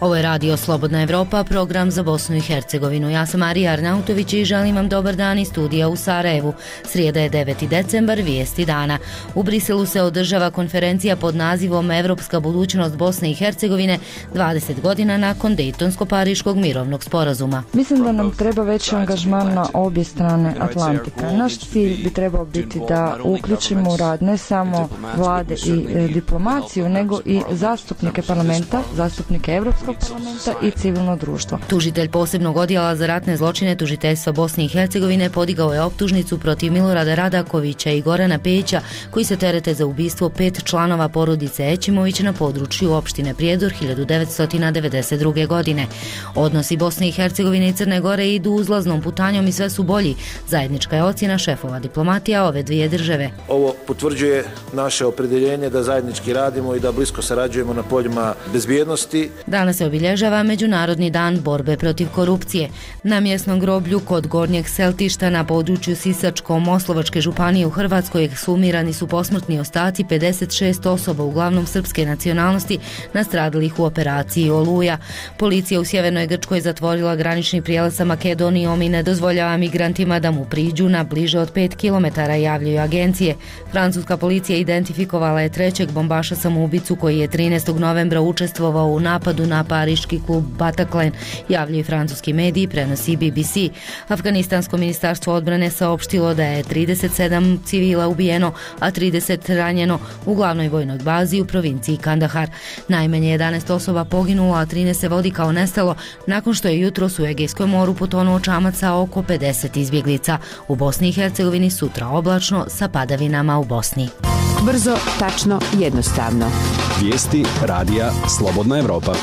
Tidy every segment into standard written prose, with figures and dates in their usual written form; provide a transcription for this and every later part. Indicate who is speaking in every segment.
Speaker 1: Ovo je Radio Slobodna Evropa, program za Bosnu i Hercegovinu. Ja sam Marija Arnautović i želim vam dobar dan iz studija u Sarajevu. Srijeda je 9. decembar, vijesti dana. U Briselu se održava konferencija pod nazivom Evropska budućnost Bosne i Hercegovine 20 godina nakon Dejtonsko-Pariškog mirovnog sporazuma.
Speaker 2: Mislim da nam treba veći angažman na obje strane Atlantika. Naš cilj bi trebao biti da uključimo u rad ne samo vlade i diplomaciju, nego i zastupnike parlamenta, zastupnike Evropskog parlamenta i civilno društvo.
Speaker 1: Tužitelj posebnog odjela za ratne zločine tužiteljstva Bosne i Hercegovine podigao je optužnicu protiv Milorada Radakovića i Gorana Pejića, koji se terete za ubistvo 5 članova porodice Ećimović na području opštine Prijedor 1992. godine. Odnosi Bosne i Hercegovine i Crne Gore idu uzlaznom putanjom i sve su bolji. Zajednička je ocjena šefova diplomatija ove dvije države.
Speaker 3: Ovo potvrđuje naše opredjeljenje da zajednički radimo i da blisko sarađujemo na poljima bezbjednosti.
Speaker 1: Danas se obilježava Međunarodni dan borbe protiv korupcije. Na mjesnom groblju kod Gornjeg Seltišta na području Sisačko-Moslovačke županije u Hrvatskoj ekshumirani su posmrtni ostaci 56 osoba, uglavnom srpske nacionalnosti, nastradalih u operaciji Oluja. Policija u sjevernoj Grčkoj zatvorila granični prijelaz sa Makedonijom i ne dozvoljava migrantima da mu priđu na bliže od 5 km, javljaju agencije. Francuska policija identifikovala je trećeg bombaša samoubicu koji je 13. novembra učestvovao u napadu na pariški klub Bataclan, javljaju francuski mediji, prenosi BBC. Afganistansko ministarstvo odbrane saopštilo da je 37 civila ubijeno, a 30 ranjeno u glavnoj vojnoj bazi u provinciji Kandahar. Najmanje 11 osoba poginulo, a 13 se vodi kao nestalo nakon što je jutros u Egejskom moru potonuo čamac sa oko 50 izbjeglica. U Bosni i Hercegovini sutra oblačno sa padavinama u Bosni.
Speaker 4: Brzo, tačno, jednostavno.
Speaker 5: Vijesti radija Slobodna Evropa.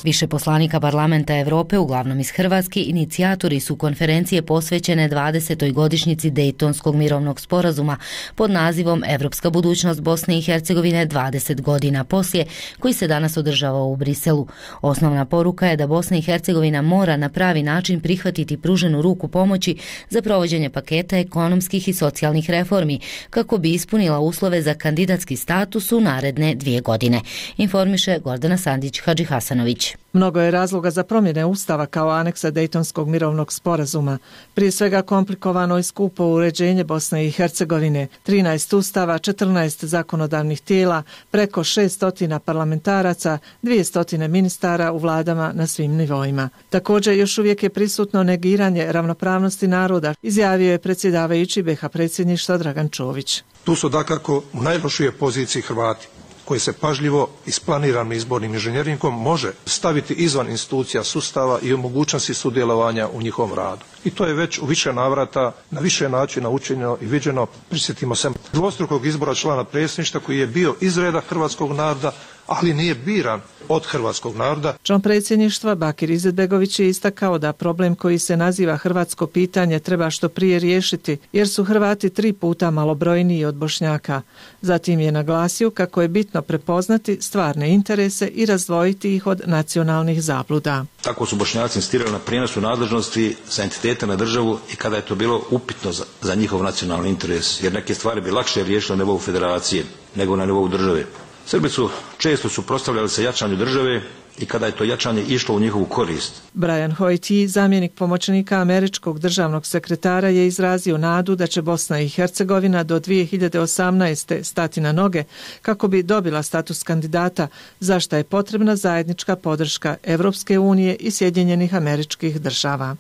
Speaker 1: Više poslanika Parlamenta Evrope, uglavnom iz Hrvatske, inicijatori su konferencije posvećene 20. godišnjici Dejtonskog mirovnog sporazuma pod nazivom Evropska budućnost Bosne i Hercegovine 20 godina poslije, koji se danas održava u Briselu. Osnovna poruka je da Bosna i Hercegovina mora na pravi način prihvatiti pruženu ruku pomoći za provođenje paketa ekonomskih i socijalnih reformi, kako bi ispunila uslove za kandidatski status u naredne 2 godine. Informiše Gordana Sandić-Hadžihasanović.
Speaker 6: Mnogo je razloga za promjene Ustava kao aneksa Dejtonskog mirovnog sporazuma. Prije svega komplikovano i skupo uređenje Bosne i Hercegovine, 13 ustava, 14 zakonodavnih tijela, preko 600 parlamentaraca, 200 ministara u vladama na svim nivoima. Također još uvijek je prisutno negiranje ravnopravnosti naroda, izjavio je predsjedavajući BiH predsjedništva Dragan Čović.
Speaker 7: Tu su dakako u najlošijoj poziciji Hrvati, koji se pažljivo isplaniranim izbornim inženjeringom može staviti izvan institucija sustava i o mogućnosti sudjelovanja u njihovom radu. I to je već u više navrata, na više načina učinjeno i viđeno. Prisjetimo se dvostrukog izbora člana predsjedništva koji je bio iz reda hrvatskog naroda, ali nije biran od hrvatskog naroda.
Speaker 6: Član predsjedništva Bakir Izetbegović je istakao da problem koji se naziva hrvatsko pitanje treba što prije riješiti, jer su Hrvati 3 puta malobrojniji od Bošnjaka. Zatim je naglasio kako je bitno prepoznati stvarne interese i razdvojiti ih od nacionalnih zabluda.
Speaker 8: Tako su Bošnjaci insistirali na prijenosu nadležnosti sa entiteta na državu i kada je to bilo upitno za njihov nacionalni interes, jer neke stvari bi lakše riješile na nivou federacije nego na nivou države. Srbi su često suprotstavljali se jačanju države i kada je to jačanje išlo u njihovu korist.
Speaker 6: Brian Hoyt, zamjenik pomoćnika američkog državnog sekretara, je izrazio nadu da će Bosna i Hercegovina do 2018. stati na noge kako bi dobila status kandidata, za što je potrebna zajednička podrška Evropske unije i Sjedinjenih Američkih Država.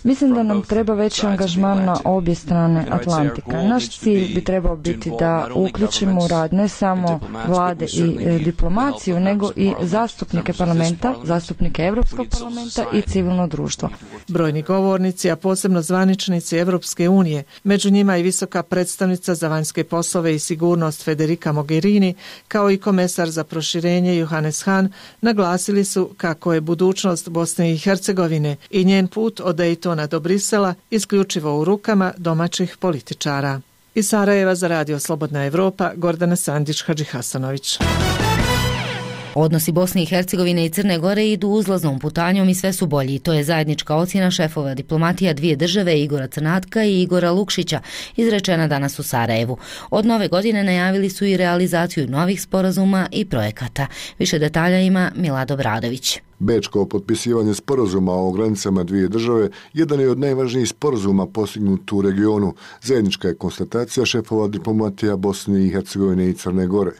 Speaker 2: Mislim da nam treba veći angažman na obje strane Atlantika. Naš cilj bi trebao biti da uključimo u rad ne samo vlade i diplomaciju, nego i zastupnike parlamenta, zastupnike Evropskog parlamenta i civilno društvo.
Speaker 6: Brojni govornici, a posebno zvaničnici Evropske unije, među njima i visoka predstavnica za vanjske poslove i sigurnost Federica Mogherini, kao i komesar za proširenje Johannes Hahn, naglasili su kako je budućnost Bosne i Hercegovine i njen put od Dejtona do Brisela isključivo u rukama domaćih političara. Iz Sarajeva za Radio Slobodna Evropa, Gordana Sandić-Hadžihasanović.
Speaker 1: Odnosi Bosne i Hercegovine i Crne Gore idu uzlaznom putanjom i sve su bolji. To je zajednička ocjena šefova diplomatija dvije države Igora Crnatka i Igora Lukšića, izrečena danas u Sarajevu. Od nove godine najavili su i realizaciju novih sporazuma i projekata. Više detalja ima Milad Obradović.
Speaker 9: Bečko potpisivanje sporazuma o granicama dvije države jedan je od najvažnijih sporazuma postignut u regionu. Zajednička je konstatacija šefova diplomatija Bosne i Hercegovine i Crne Gore.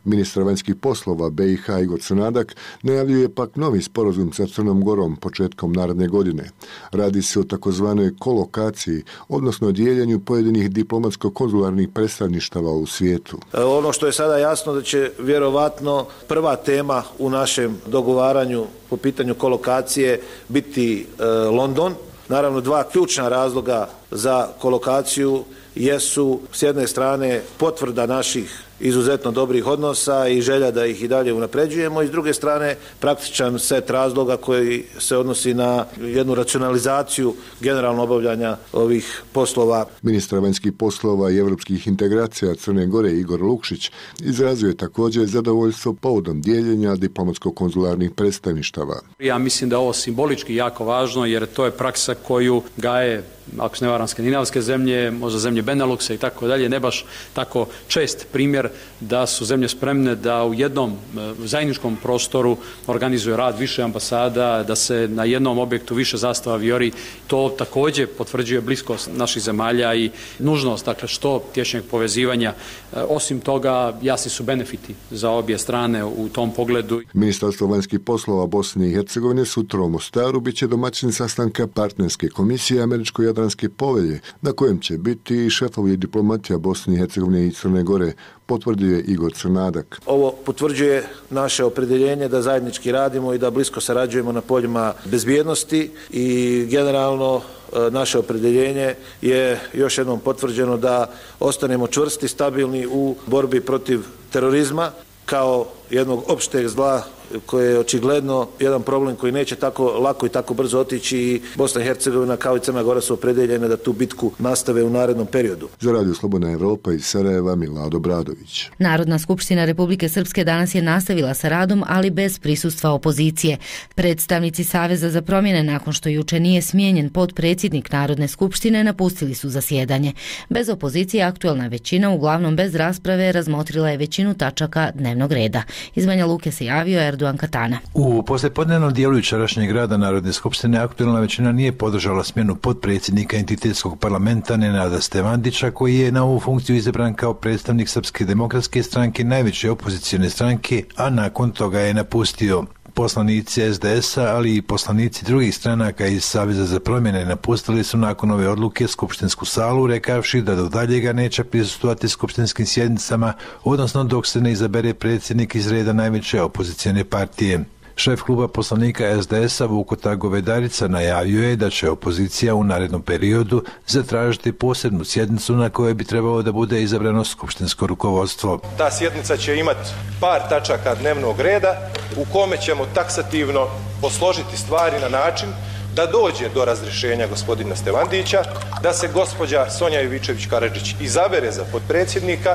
Speaker 9: Ministar vanjskih poslova BiH Igor Crnadak najavljuje pak novi sporazum sa Crnom Gorom početkom naredne godine. Radi se o takozvanoj kolokaciji, odnosno dijeljenju pojedinih diplomatsko-konzularnih predstavništava u svijetu.
Speaker 3: Ono što je sada jasno da će vjerovatno prva tema u našem dogovaranju po pitanju kolokacije biti London. Naravno, dva ključna razloga za kolokaciju jesu s jedne strane potvrda naših izuzetno dobrih odnosa i želja da ih i dalje unapređujemo i s druge strane praktičan set razloga koji se odnosi na jednu racionalizaciju generalno obavljanja ovih poslova.
Speaker 9: Ministar vanjskih poslova i europskih integracija Crne Gore Igor Lukšić izrazio je također zadovoljstvo povodom dijeljenja diplomatsko-konzularnih predstavništava.
Speaker 10: Ja mislim da je ovo simbolički jako važno jer to je praksa koju gaje, ako se ne varam, skandinavske zemlje, možda zemlje Beneluxa i tako dalje, ne baš tako čest primjer da su zemlje spremne da u jednom zajedničkom prostoru organizuje rad više ambasada, da se na jednom objektu više zastava vijori. To također potvrđuje bliskost naših zemalja i nužnost, dakle, što tješnjeg povezivanja. Osim toga, jasni su benefiti za obje strane u tom pogledu.
Speaker 9: Ministarstvo vanjskih poslova Bosne i Hercegovine sutra u Mostaru bit će domaćin sastanka partnerske komisije Američko-Jadranske povelje, na kojem će biti i šefovi diplomatija Bosne i Hercegovine i Crne Gore, potvrdio je Igor Crnadak.
Speaker 3: Ovo potvrđuje naše opredjeljenje da zajednički radimo i da blisko sarađujemo na poljima bezbjednosti i generalno naše opredjeljenje je još jednom potvrđeno da ostanemo čvrsti, stabilni u borbi protiv terorizma kao jednog opšteg zla koje je očigledno jedan problem koji neće tako lako i tako brzo otići i Bosna i Hercegovina kao i Crna Gora su opredeljene da tu bitku nastave u narednom periodu.
Speaker 9: Za Radio Slobodna Evropa iz Sarajeva Milad Obradović.
Speaker 1: Narodna skupština Republike Srpske danas je nastavila sa radom, ali bez prisustva opozicije. Predstavnici Saveza za promjene, nakon što juče nije smijenjen potpredsjednik Narodne skupštine, napustili su zasjedanje. Bez opozicije aktuelna većina, uglavnom bez rasprave, razmotrila je većinu tačaka dnevnog reda. Iz Banja Luke se javio Erdogan Katana.
Speaker 11: U poslijepodnevnom dijelu jučerašnjeg rada Narodne skupštine aktuelna većina nije podržala smjenu potpredsjednika entitetskog parlamenta Nenada Stevandića, koji je na ovu funkciju izabran kao predstavnik Srpske demokratske stranke, najveće opozicione stranke, a nakon toga je napustio. Poslanici SDS-a, ali i poslanici drugih stranaka iz Saveza za promjene napustili su nakon ove odluke skupštinsku salu, rekavši da do daljega neće prisustvovati skupštinskim sjednicama, odnosno dok se ne izabere predsjednik iz reda najveće opozicione partije. Šef kluba poslanika SDS-a Vukota Govedarica najavio je da će opozicija u narednom periodu zatražiti posebnu sjednicu na kojoj bi trebalo da bude izabrano skupštinsko rukovodstvo.
Speaker 12: Ta sjednica će imati par tačaka dnevnog reda u kome ćemo taksativno posložiti stvari na način da dođe do razrješenja gospodina Stevandića, da se gospođa Sonja Ivičević-Karadžić izabere za potpredsjednika,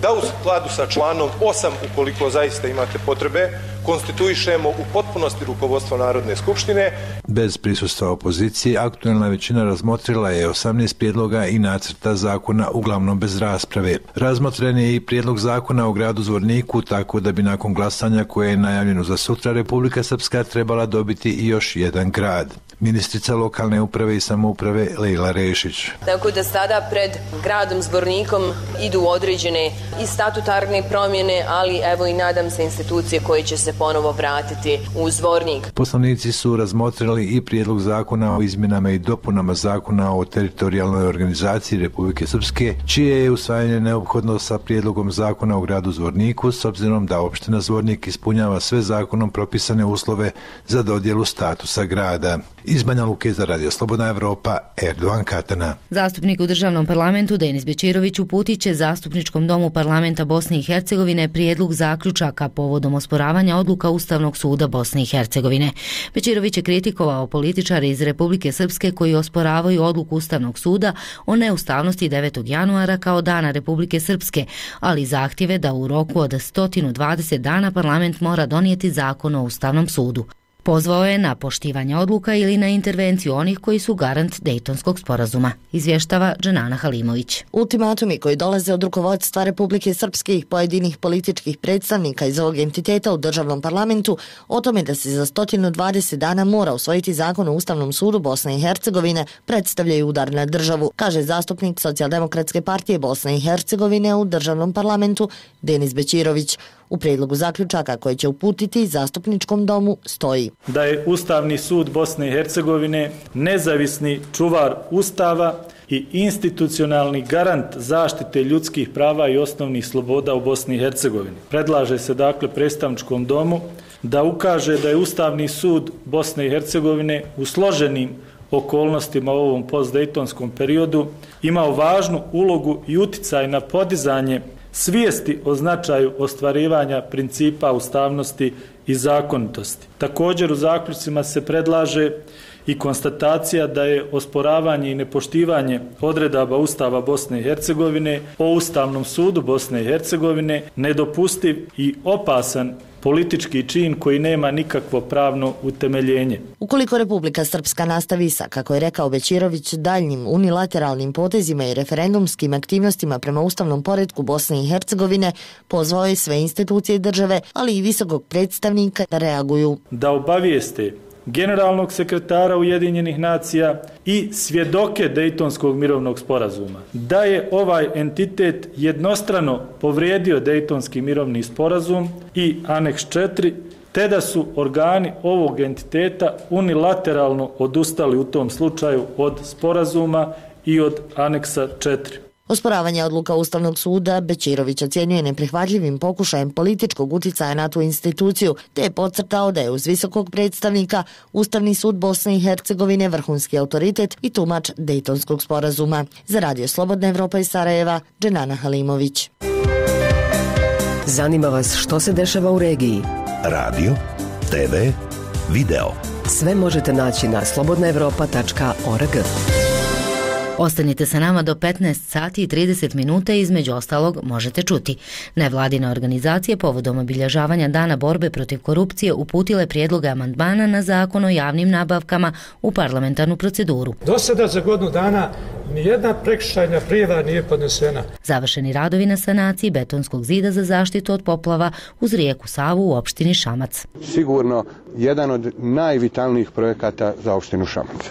Speaker 12: da u skladu sa članom 8, ukoliko zaista imate potrebe, konstituišemo u potpunosti rukovodstvo Narodne skupštine.
Speaker 11: Bez prisustva opozicije, aktuelna većina razmotrila je 18 prijedloga i nacrta zakona, uglavnom bez rasprave. Razmotren je i prijedlog zakona o gradu Zvorniku, tako da bi nakon glasanja koje je najavljeno za sutra Republika Srpska trebala dobiti i još jedan grad. Ministrica lokalne uprave i samouprave Lejla Rešić.
Speaker 13: Tako da sada pred gradom Zvornikom idu određene i statutarne promjene, ali evo i nadam se institucije koje će se ponovo vratiti u Zvornik.
Speaker 11: Poslanici su razmotrili i prijedlog zakona o izmjenama i dopunama zakona o teritorijalnoj organizaciji Republike Srpske, čije je usvajanje neophodno sa prijedlogom zakona o gradu Zvorniku, s obzirom da opština Zvornik ispunjava sve zakonom propisane uslove za dodjelu statusa grada. Iz Banja Luke za Radio Slobodna Evropa, Erdogan Katana.
Speaker 1: Zastupnik u državnom parlamentu Denis Bećirović uputit će Zastupničkom domu parlamenta Bosne i Hercegovine prijedlog zaključaka povodom osporavanja odluka Ustavnog suda Bosne i Hercegovine. Bećirović je kritikovao političare iz Republike Srpske koji osporavaju odluku Ustavnog suda o neustavnosti 9. januara kao dana Republike Srpske, ali zahtjeve da u roku od 120 dana parlament mora donijeti zakon o Ustavnom sudu. Pozvao je na poštivanje odluka ili na intervenciju onih koji su garant Dejtonskog sporazuma, izvještava Dženana Halimović.
Speaker 14: Ultimatumi koji dolaze od rukovodstva Republike Srpske i pojedinih političkih predstavnika iz ovog entiteta u državnom parlamentu o tome da se za 120 dana mora usvojiti zakon o Ustavnom sudu Bosne i Hercegovine predstavljaju udar na državu, kaže zastupnik Socijaldemokratske partije Bosne i Hercegovine u državnom parlamentu Denis Bećirović. U prijedlogu zaključaka koje će uputiti Zastupničkom domu stoji
Speaker 15: da je Ustavni sud Bosne i Hercegovine nezavisni čuvar Ustava i institucionalni garant zaštite ljudskih prava i osnovnih sloboda u Bosni i Hercegovini. Predlaže se dakle predstavničkom domu da ukaže da je Ustavni sud Bosne i Hercegovine u složenim okolnostima u ovom postdejtonskom periodu imao važnu ulogu i uticaj na podizanje svijesti o značaju ostvarivanja principa ustavnosti i zakonitosti. Također u zaključcima se predlaže i konstatacija da je osporavanje i nepoštivanje odredaba Ustava Bosne i Hercegovine o Ustavnom sudu Bosne i Hercegovine nedopustiv i opasan politički čin koji nema nikakvo pravno utemeljenje.
Speaker 14: Ukoliko Republika Srpska nastavi sa, kako je rekao Bećirović, daljnjim unilateralnim potezima i referendumskim aktivnostima prema ustavnom poretku Bosne i Hercegovine, pozvao je sve institucije države, ali i visokog predstavnika da reaguju.
Speaker 15: Da obavijeste generalnog sekretara Ujedinjenih nacija i svjedoke Dejtonskog mirovnog sporazuma da je ovaj entitet jednostrano povrijedio Dejtonski mirovni sporazum i aneks 4, te da su organi ovog entiteta unilateralno odustali u tom slučaju od sporazuma i od aneksa 4.
Speaker 14: Osporavanje odluka Ustavnog suda Bećirović ocjenjuje neprihvatljivim pokušajem političkog uticaja na tu instituciju, te je podcrtao da je uz visokog predstavnika Ustavni sud Bosne i Hercegovine vrhunski autoritet i tumač Dejtonskog sporazuma. Za Radio Slobodna Evropa iz Sarajeva, Dženana Halimović.
Speaker 16: Zanima vas što se dešava u regiji?
Speaker 17: Radio, TV, video.
Speaker 16: Sve možete naći na slobodnaevropa.org.
Speaker 1: Ostanite sa nama do 15 sati i 30 minuta i između ostalog možete čuti. Nevladine organizacije povodom obilježavanja Dana borbe protiv korupcije uputile prijedloge amandmana na zakon o javnim nabavkama u parlamentarnu proceduru.
Speaker 18: Do sada za godinu dana nijedna prekršajna prijava nije podnesena.
Speaker 1: Završeni radovi na sanaciji betonskog zida za zaštitu od poplava uz rijeku Savu u opštini Šamac.
Speaker 19: Sigurno jedan od najvitalnijih projekata za opštinu Šamac.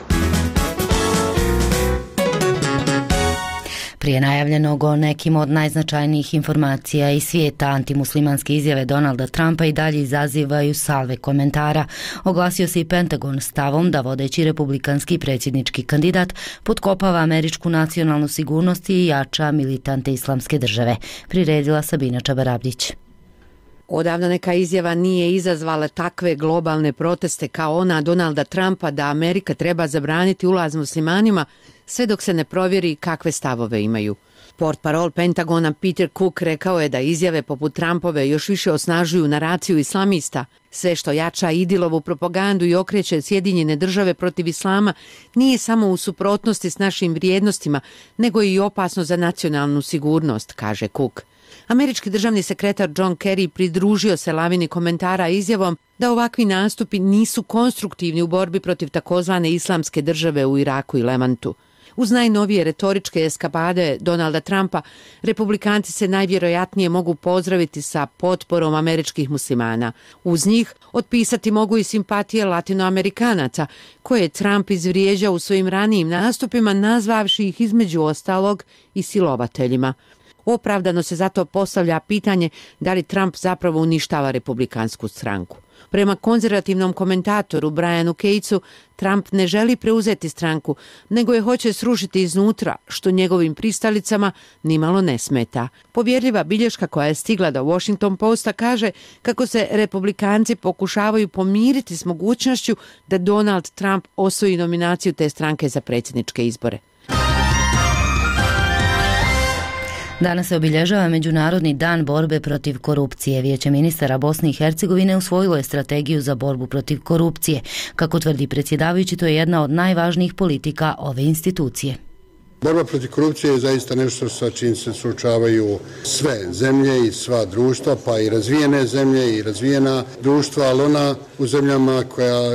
Speaker 1: Prije najavljenog o nekim od najznačajnijih informacija iz svijeta, antimuslimanske izjave Donalda Trumpa i dalje izazivaju salve komentara. Oglasio se i Pentagon stavom da vodeći republikanski predsjednički kandidat potkopava američku nacionalnu sigurnost i jača militante islamske države. Priredila Sabina Čabarabdić.
Speaker 20: Odavno neka izjava nije izazvala takve globalne proteste kao ona Donalda Trumpa da Amerika treba zabraniti ulaz muslimanima sve dok se ne provjeri kakve stavove imaju. Portparol Pentagona Peter Cook rekao je da izjave poput Trumpove još više osnažuju naraciju islamista. Sve što jača Idilovu propagandu i okreće Sjedinjene države protiv islama nije samo u suprotnosti s našim vrijednostima, nego i opasno za nacionalnu sigurnost, kaže Cook. Američki državni sekretar John Kerry pridružio se lavini komentara izjavom da ovakvi nastupi nisu konstruktivni u borbi protiv takozvane islamske države u Iraku i Levantu. Uz najnovije retoričke eskapade Donalda Trumpa, republikanci se najvjerojatnije mogu pozdraviti sa potporom američkih muslimana. Uz njih otpisati mogu i simpatije latinoamerikanaca, koje je Trump izvrijeđao u svojim ranijim nastupima, nazvavši ih između ostalog i silovateljima. Opravdano se zato postavlja pitanje da li Trump zapravo uništava republikansku stranku. Prema konzervativnom komentatoru Brianu Catesu, Trump ne želi preuzeti stranku, nego je hoće srušiti iznutra, što njegovim pristalicama nimalo ne smeta. Povjerljiva bilješka koja je stigla do Washington Posta kaže kako se republikanci pokušavaju pomiriti s mogućnošću da Donald Trump osvoji nominaciju te stranke za predsjedničke izbore.
Speaker 1: Danas se obilježava Međunarodni dan borbe protiv korupcije. Vijeće ministara Bosne i Hercegovine usvojilo je strategiju za borbu protiv korupcije. Kako tvrdi predsjedavajući, to je jedna od najvažnijih politika ove institucije.
Speaker 21: Borba protiv korupcije je zaista nešto sa čim se suočavaju sve zemlje i sva društva, pa i razvijene zemlje i razvijena društva, ali ona u zemljama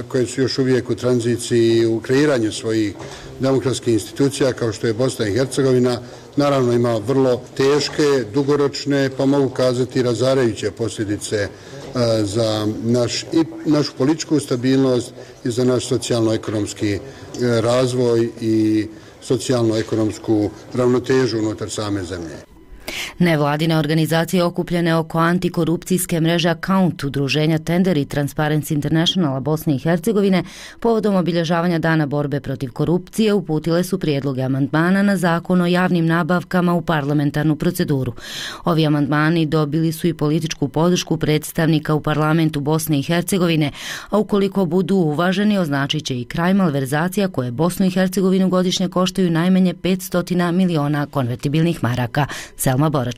Speaker 21: koje su još uvijek u tranziciji u kreiranju svojih demokratskih institucija, kao što je Bosna i Hercegovina, naravno ima vrlo teške, dugoročne, pa mogu kazati razarajuće posljedice za našu političku stabilnost i za naš socijalno-ekonomski razvoj i socijalno-ekonomsku ravnotežu unutar same zemlje.
Speaker 1: Nevladine organizacije okupljene oko antikorupcijske mreže Account, udruženja Tender i Transparency Internationala Bosne i Hercegovine povodom obilježavanja Dana borbe protiv korupcije uputile su prijedloge amandmana na zakon o javnim nabavkama u parlamentarnu proceduru. Ovi amandmani dobili su i političku podršku predstavnika u parlamentu Bosne i Hercegovine, a ukoliko budu uvaženi označit će i kraj malverzacija koje Bosnu i Hercegovinu godišnje koštaju najmanje 500 miliona konvertibilnih maraka. Selma Boračić.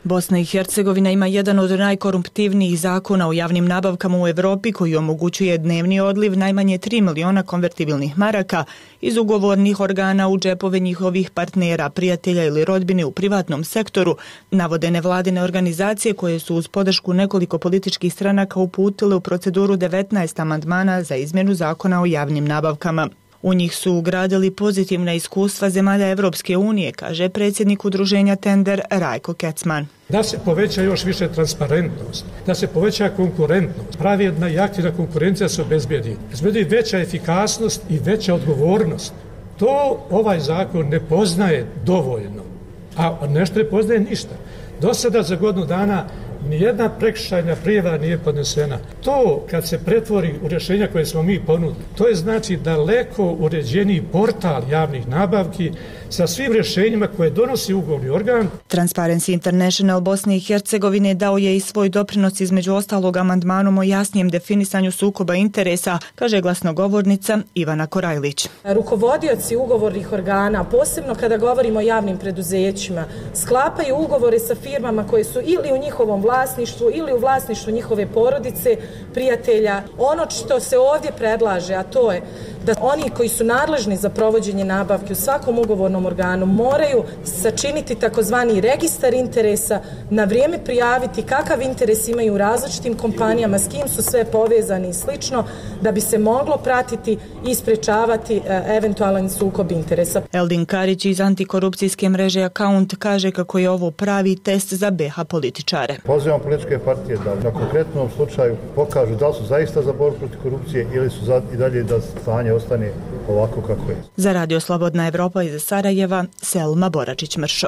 Speaker 22: Bosna i Hercegovina ima jedan od najkorumptivnijih zakona o javnim nabavkama u Europi koji omogućuje dnevni odliv najmanje 3 miliona konvertibilnih maraka iz ugovornih organa u džepove njihovih partnera, prijatelja ili rodbine u privatnom sektoru, navode nevladine organizacije koje su uz podršku nekoliko političkih stranaka uputile u proceduru 19 amandmana za izmjenu zakona o javnim nabavkama. U njih su ugradili pozitivna iskustva zemalja Evropske unije, kaže predsjednik udruženja Tender Rajko Kecman.
Speaker 18: Da se poveća još više transparentnost, da se poveća konkurentnost, pravedna i aktivna konkurencija se obezbijedi veća efikasnost i veća odgovornost. To ovaj zakon ne poznaje dovoljno, a nešto ne poznaje ništa. Do sada za godinu dana nijedna prekršajna prijava nije podnesena. To kad se pretvori u rješenja koje smo mi ponudili, to je znači daleko uređeniji portal javnih nabavki sa svim rješenjima koje donosi ugovorni organ.
Speaker 22: Transparency International Bosne i Hercegovine dao je i svoj doprinos između ostalog amandmanom o jasnijem definisanju sukoba interesa, kaže glasnogovornica Ivana Korajlić.
Speaker 23: Rukovodioci ugovornih organa, posebno kada govorimo o javnim preduzećima, sklapaju ugovore sa firmama koje su ili u njihovom vlasništvu ili u vlasništvu njihove porodice, prijatelja. Ono što se ovdje predlaže, a to je da oni koji su nadležni za provođenje nabavke u svakom ugovornom organu moraju sačiniti takozvani registar interesa, na vrijeme prijaviti kakav interes imaju u različitim kompanijama, s kim su sve povezani i slično, da bi se moglo pratiti i sprečavati eventualan sukob interesa.
Speaker 22: Eldin Karić iz antikorupcijske mreže Account kaže kako je ovo pravi test za BiH političare.
Speaker 24: Pozivam političke partije da na konkretnom slučaju pokažu da li su zaista za borbu protiv korupcije ili su i dalje da stanje ostane ovako kako je.
Speaker 22: Za Radio Slobodna Evropa iz Sarajeva, Selma Boračić-Mršo.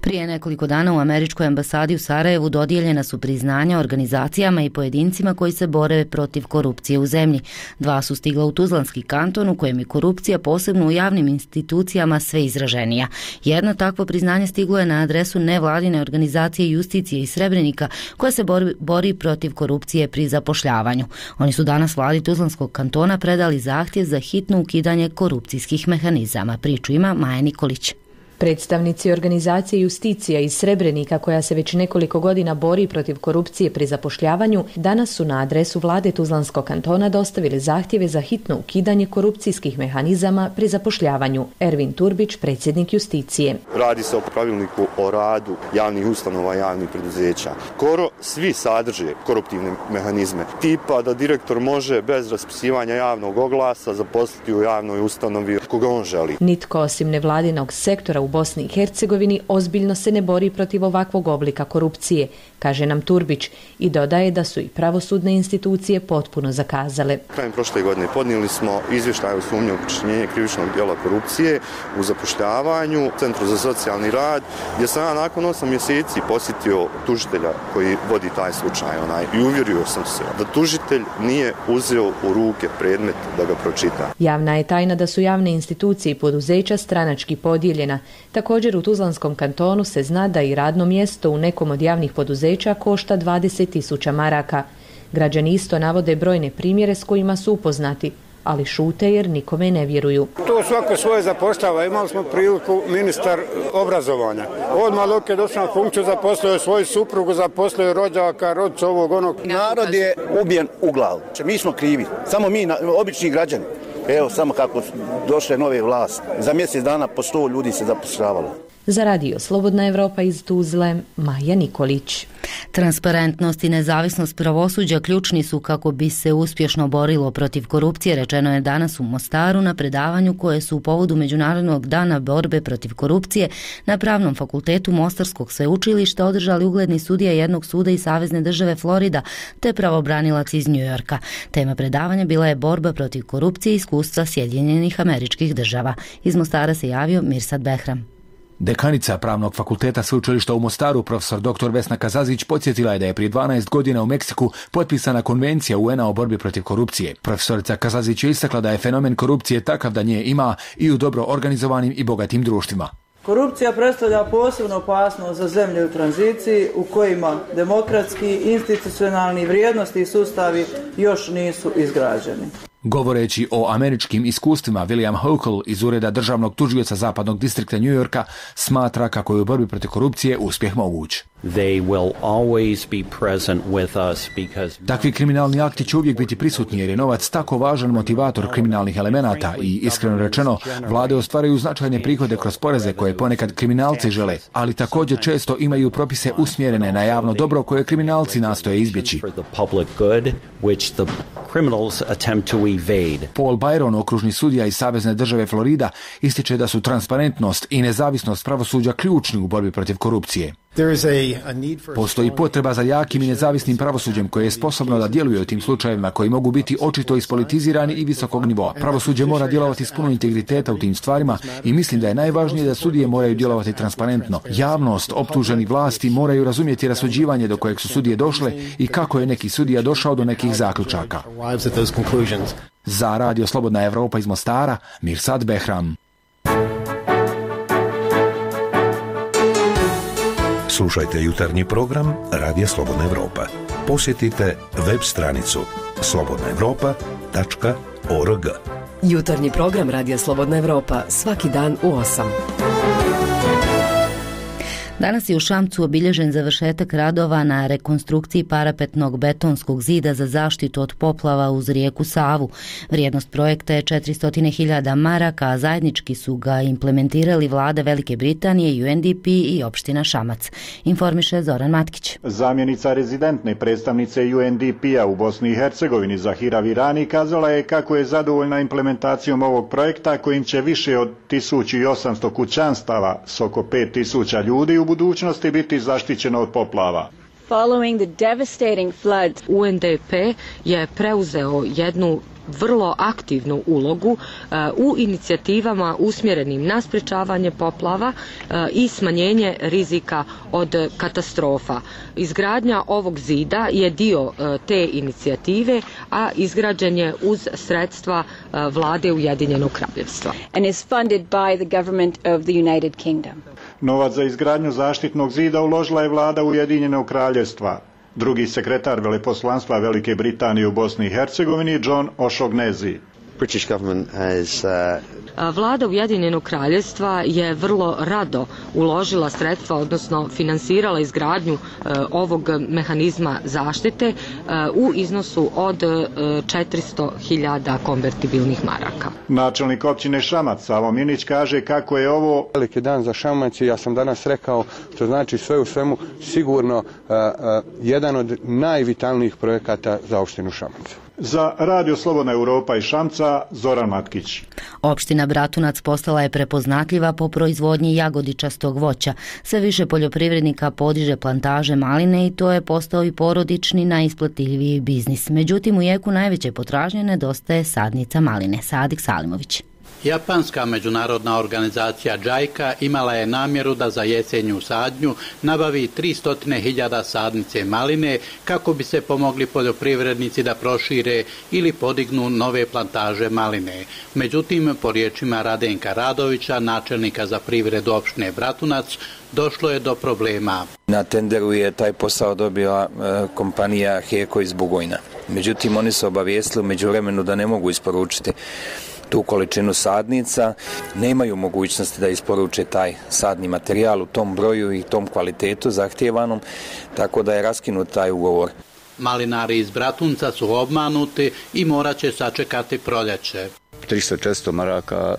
Speaker 1: Prije nekoliko dana u Američkoj ambasadi u Sarajevu dodijeljena su priznanja organizacijama i pojedincima koji se bore protiv korupcije u zemlji. 2 su stigla u Tuzlanski kanton u kojem je korupcija posebno u javnim institucijama sve izraženija. Jedno takvo priznanje stiglo je na adresu nevladine organizacije Justicije iz Srebrenika koja se bori protiv korupcije pri zapošljavanju. Oni su danas vladi Tuzlanskog kantona predali zahtjev za hitno ukidanje korupcijskih mehanizama. Priču ima Maja Nikolić.
Speaker 25: Predstavnici organizacije Justicija iz Srebrenika, koja se već nekoliko godina bori protiv korupcije pri zapošljavanju, danas su na adresu vlade Tuzlanskog kantona dostavili zahtjeve za hitno ukidanje korupcijskih mehanizama pri zapošljavanju. Ervin Turbić, predsjednik Justicije.
Speaker 26: Radi se o pravilniku o radu javnih ustanova i javnih preduzeća. Skoro svi sadrže koruptivne mehanizme, tipa da direktor može bez raspisivanja javnog oglasa zaposliti u javnoj ustanovi koga on želi.
Speaker 25: Nitko osim nevladinog sektora u Bosni i Hercegovini ozbiljno se ne bori protiv ovakvog oblika korupcije, kaže nam Turbić i dodaje da su i pravosudne institucije potpuno zakazale.
Speaker 26: Krajem prošle godine podnijeli smo izvještaj o sumnji u počinjenje krivičnog djela korupcije u zapošljavanju Centru za socijalni rad, gdje sam ja nakon 8 mjeseci posjetio tužitelja koji vodi taj slučaj i uvjerio sam se da tužitelj nije uzeo u ruke predmet da ga pročita.
Speaker 25: Javna je tajna da su javne institucije i poduzeća stranački podijeljena. Također u Tuzlanskom kantonu se zna da i radno mjesto u nekom od javnih poduzeća košta 20.000 maraka. Građani isto navode brojne primjere s kojima su upoznati, ali šute jer nikome ne vjeruju.
Speaker 2: To svako svoje zapošljava. Imali smo priliku ministar obrazovanja. Odmah dok je došao na funkciju zaposlio svoju suprugu, zaposlio rođaka, rodca ovog onog.
Speaker 4: Narod je ubijen u glavu. Mi smo krivi. Samo mi, obični građani. Evo samo kako došle nove vlasti. Za mjesec dana po 100 ljudi se zapošljavalo.
Speaker 25: Za radio Slobodna Evropa iz Tuzle, Maja Nikolić.
Speaker 1: Transparentnost i nezavisnost pravosuđa ključni su kako bi se uspješno borilo protiv korupcije, rečeno je danas u Mostaru na predavanju koje su u povodu Međunarodnog dana borbe protiv korupcije na Pravnom fakultetu Mostarskog sveučilišta održali ugledni sudija jednog suda iz Savezne države Florida te pravobranilac iz Njujorka. Tema predavanja bila je borba protiv korupcije i iskustva Sjedinjenih Američkih Država. Iz Mostara se javio Mirsad Behram.
Speaker 5: Dekanica Pravnog fakulteta sveučilišta u Mostaru, profesor dr. Vesna Kazazić, podsjetila je da je prije 12 godina u Meksiku potpisana konvencija UN-a o borbi protiv korupcije. Profesorica Kazazić je istakla da je fenomen korupcije takav da nje ima i u dobro organizovanim i bogatim društvima.
Speaker 6: Korupcija predstavlja posebnu opasnost za zemlje u tranziciji u kojima demokratski, institucionalni vrijednosti i sustavi još nisu izgrađeni.
Speaker 5: Govoreći o američkim iskustvima, William Hochul iz Ureda državnog tužioca zapadnog distrikta New Yorka smatra kako je u borbi protiv korupcije uspjeh moguć. Takvi kriminalni akti će uvijek biti prisutni jer je novac tako važan motivator kriminalnih elemenata i iskreno rečeno, vlade ostvaraju značajne prihode kroz poreze koje ponekad kriminalci žele, ali također često imaju propise usmjerene na javno dobro koje kriminalci nastoje izbjeći. Paul Byron, okružni sudija iz Savezne države Florida, ističe da su transparentnost i nezavisnost pravosuđa ključni u borbi protiv korupcije. Postoji potreba za jakim i nezavisnim pravosuđem koje je sposobno da djeluje u tim slučajevima koji mogu biti očito ispolitizirani i visokog nivoa. Pravosuđe mora djelovati s puno integriteta u tim stvarima i mislim da je najvažnije da sudije moraju djelovati transparentno. Javnost, optuženi vlasti moraju razumjeti rasuđivanje do kojeg su sudije došle i kako je neki sudija došao do nekih zaključaka. Za radio Slobodna Evropa iz Mostara, Mirsad Behram.
Speaker 17: Slušajte jutarnji program Radija Slobodna Evropa. Posjetite web stranicu slobodnaevropa.org.
Speaker 16: Jutarnji program Radija Slobodna Evropa svaki dan u 8.
Speaker 1: Danas je u Šamcu obilježen završetak radova na rekonstrukciji parapetnog betonskog zida za zaštitu od poplava uz rijeku Savu. Vrijednost projekta je 400.000 maraka, a zajednički su ga implementirali vlade Velike Britanije, UNDP i opština Šamac. Informiše Zoran Matkić.
Speaker 7: Zamjenica rezidentne predstavnice UNDP-a u Bosni i Hercegovini Zahira Virani kazala je kako je zadovoljna implementacijom ovog projekta kojim će više od 1800 kućanstava s oko 5000 ljudi u budućnosti biti zaštićeno od poplava.
Speaker 8: Following the devastating floods,
Speaker 25: UNDP je preuzeo jednu vrlo aktivnu ulogu u inicijativama usmjerenim na sprečavanje poplava i smanjenje rizika od katastrofa. Izgradnja ovog zida je dio te inicijative, a izgrađen je uz sredstva vlade Ujedinjenog Kraljevstva.
Speaker 8: And is funded by the government of the United Kingdom.
Speaker 7: Novac za izgradnju zaštitnog zida uložila je vlada Ujedinjenog Kraljevstva. Drugi sekretar veleposlanstva Velike Britanije u Bosni i Hercegovini, John O'Shaughnessy.
Speaker 25: Vlada Ujedinjenog Kraljevstva je vrlo rado uložila sredstva, odnosno finansirala izgradnju ovog mehanizma zaštite u iznosu od 400.000 konvertibilnih maraka.
Speaker 7: Načelnik općine Šamac, Savo Minić, kaže kako je ovo
Speaker 19: veliki dan za Šamac i ja sam danas rekao, to znači sve u svemu sigurno jedan od najvitalnijih projekata za opštinu Šamac.
Speaker 7: Za Radio Slobodna Europa i Šamca, Zoran Matkić.
Speaker 1: Opština Bratunac postala je prepoznatljiva po proizvodnji jagodičastog voća. Sve više poljoprivrednika podiže plantaže maline i to je postao i porodični najisplativiji biznis. Međutim, u jeku najveće potražnje nedostaje sadnica maline. Sadik Salimović.
Speaker 3: Japanska međunarodna organizacija JICA imala je namjeru da za jesenju sadnju nabavi 300.000 sadnice maline kako bi se pomogli poljoprivrednici da prošire ili podignu nove plantaže maline. Međutim, po riječima Radenka Radovića, načelnika za privredu opštine Bratunac, došlo je do problema.
Speaker 9: Na tenderu je taj posao dobila kompanija Heko iz Bugojna. Međutim, oni su obavijestili u međuvremenu da ne mogu isporučiti tu količinu sadnica, nemaju mogućnosti da isporuče taj sadni materijal u tom broju i tom kvalitetu zahtjevanom, tako da je raskinut taj ugovor.
Speaker 3: Malinari iz Bratunca su obmanuti i morat će sačekati proljeće.
Speaker 10: 300-400 maraka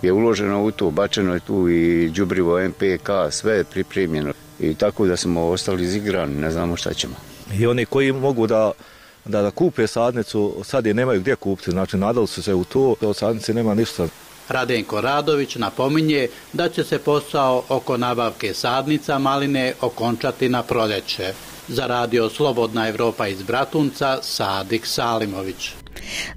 Speaker 10: je uloženo u to, bačeno je tu i đubrivo NPK, sve je pripremljeno i tako da smo ostali izigrani, ne znamo šta ćemo.
Speaker 11: I oni koji mogu da kupe sadnicu, sad je nemaju gdje kupiti, znači nadali su se u to, od sadnice nema ništa.
Speaker 3: Radenko Radović napominje da će se posao oko nabavke sadnica maline okončati na proljeće. Za Radio Slobodna Evropa iz Bratunca, Sadik Salimović.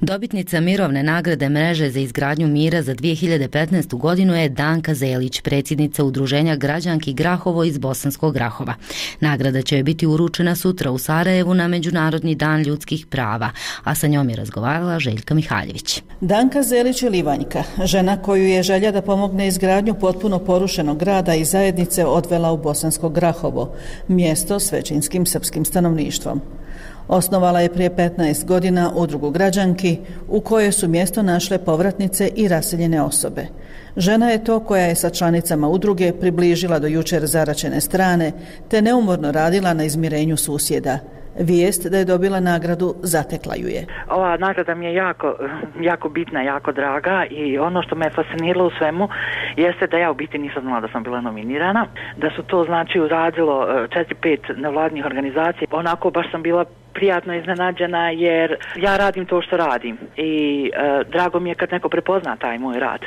Speaker 1: Dobitnica mirovne nagrade Mreže za izgradnju mira za 2015. godinu je Danka Zelić, predsjednica Udruženja građanki Grahovo iz Bosanskog Grahova. Nagrada će biti uručena sutra u Sarajevu na Međunarodni dan ljudskih prava, a sa njom je razgovarala Željka Mihaljević.
Speaker 12: Danka Zelić je Livanjka, žena koju je želja da pomogne izgradnju potpuno porušenog grada i zajednice odvela u Bosansko Grahovo, mjesto s većinskim srpskim stanovništvom. Osnovala je prije 15 godina udrugu građanki u kojoj su mjesto našle povratnice i raseljene osobe. Žena je to koja je sa članicama udruge približila do jučer zaračene strane te neumorno radila na izmirenju susjeda. Vijest da je dobila nagradu zatekla ju je.
Speaker 13: Ova nagrada mi je jako bitna, jako draga i ono što me fasciniralo u svemu jeste da ja u biti nisam znala da sam bila nominirana, da su to znači uradilo 4-5 nevladnih organizacija. Onako baš sam bila prijatno iznenađena jer ja radim to što radim i drago mi je kad neko prepozna taj moj rad.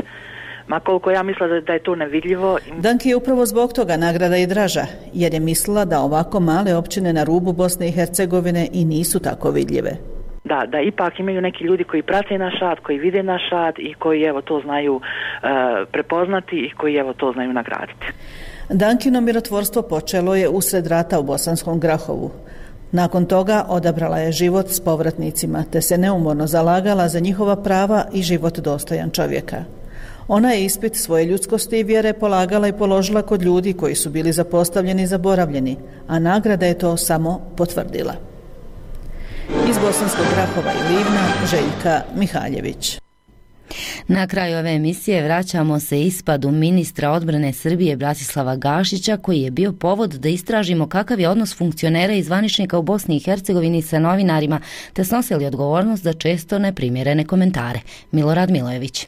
Speaker 13: Ma koliko ja mislila da je to nevidljivo.
Speaker 12: Danki je upravo zbog toga nagrada i draža, jer je mislila da ovako male općine na rubu Bosne i Hercegovine i nisu tako vidljive.
Speaker 13: Da ipak imaju neki ljudi koji prate naš rad, koji vide naš rad i koji evo to znaju prepoznati i koji evo to znaju nagraditi.
Speaker 12: Dankino mirotvorstvo počelo je usred rata u Bosanskom Grahovu. Nakon toga odabrala je život s povratnicima, te se neumorno zalagala za njihova prava i život dostojan čovjeka. Ona je ispit svoje ljudskosti i vjere polagala i položila kod ljudi koji su bili zapostavljeni i zaboravljeni, a nagrada je to samo potvrdila. Iz Bosanskog Grahova i Livna, Željka Mihaljević.
Speaker 1: Na kraju ove emisije vraćamo se ispadu ministra odbrane Srbije Bratislava Gašića, koji je bio povod da istražimo kakav je odnos funkcionera i zvaničnika u Bosni i Hercegovini sa novinarima, te snosili odgovornost za često neprimjerene komentare. Milorad Milojević.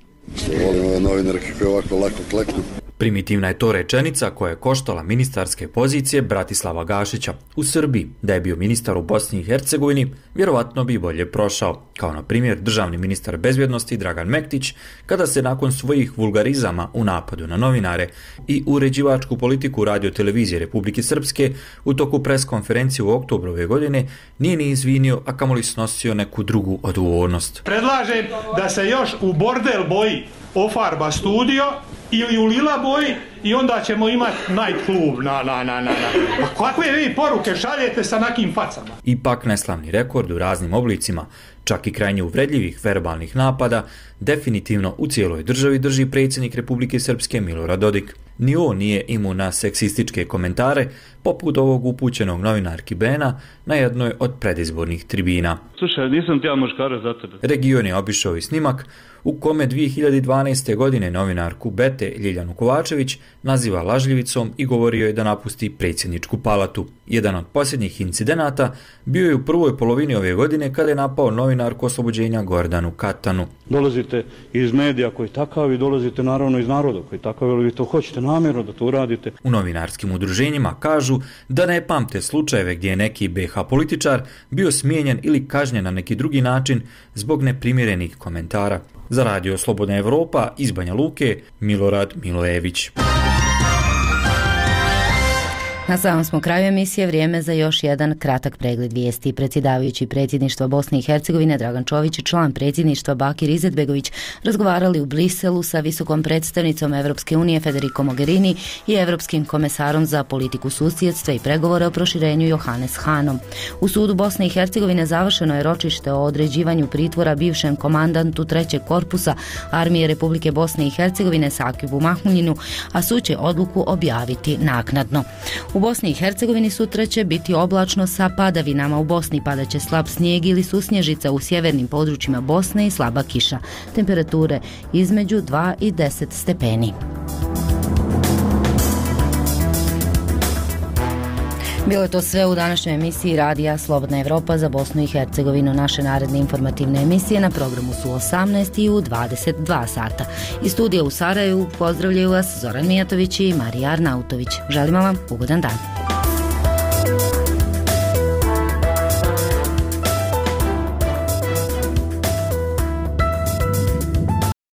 Speaker 27: Volim ove novinarke koje ovako lako kleknu.
Speaker 28: Primitivna je to rečenica koja je koštala ministarske pozicije Bratislava Gašića. U Srbiji, da je bio ministar u Bosni i Hercegovini, vjerovatno bi bolje prošao, kao na primjer državni ministar bezbjednosti Dragan Mektić, kada se nakon svojih vulgarizama u napadu na novinare i uređivačku politiku Radio-televizije Republike Srpske u toku preskonferencije u oktobru ove godine nije ni izvinio, a kamoli snosio neku drugu odgovornost.
Speaker 29: Predlažem da se još u bordel boji ofarba studio ili u lila boji i onda ćemo imati night klub. Pa kakve vi poruke šaljete sa nakim facama?
Speaker 28: Ipak neslavni rekord u raznim oblicima, čak i krajnje uvredljivih verbalnih napada, definitivno u cijeloj državi drži predsjednik Republike Srpske Milorad Dodik. Ni on nije imun na seksističke komentare, poput ovog upućenog novinarki Bena na jednoj od predizbornih tribina.
Speaker 30: Slušaj, nisam ti ja muškarac za tebe.
Speaker 28: Region je obišao i snimak u kome 2012. godine novinarku Bete Ljiljanu Kovačević naziva lažljivicom i govorio je da napusti predsjedničku palatu. Jedan od posljednjih incidenata bio je u prvoj polovini ove godine kada je napao novinar novinarku Oslobođenja Gordanu Katanu.
Speaker 30: Dolazite iz medija koji takav i dolazite naravno iz naroda koji takav, ali vi to hoćete namjerno da to uradite.
Speaker 28: U novinarskim udruženjima kažu da ne pamte slučajeve gdje je neki BiH političar bio smijenjen ili kažnjen na neki drugi način zbog neprimjerenih komentara. Za Radio Slobodna Evropa iz Banja Luke, Milorad Milojević.
Speaker 1: Na samom smo kraju emisije, vrijeme za još jedan kratak pregled vijesti. Predsjedavajući predsjedništva Bosne i Hercegovine Dragan Čović i član predsjedništva Bakir Izetbegović razgovarali u Briselu sa visokom predstavnicom Evropske unije Federico Mogherini i Evropskim komesarom za politiku susjedstva i pregovore o proširenju Johannes Hanom. U sudu Bosne i Hercegovine završeno je ročište o određivanju pritvora bivšem komandantu 3. korpusa Armije Republike Bosne i Hercegovine Sakibu Mahmuljinu, a sud će odluku objaviti naknadno. U Bosni i Hercegovini sutra će biti oblačno sa padavinama. U Bosni padaće slab snijeg ili susnježica u sjevernim područjima Bosne i slaba kiša. Temperature između 2 i 10 stepeni. Bilo je to sve u današnjoj emisiji Radija Slobodna Evropa za Bosnu i Hercegovinu. Naše naredne informativne emisije na programu su 18 i u 22 sata. Iz studija u Sarajevu pozdravljaju vas Zoran Mijatović i Marija Arnautović. Želimo vam ugodan dan.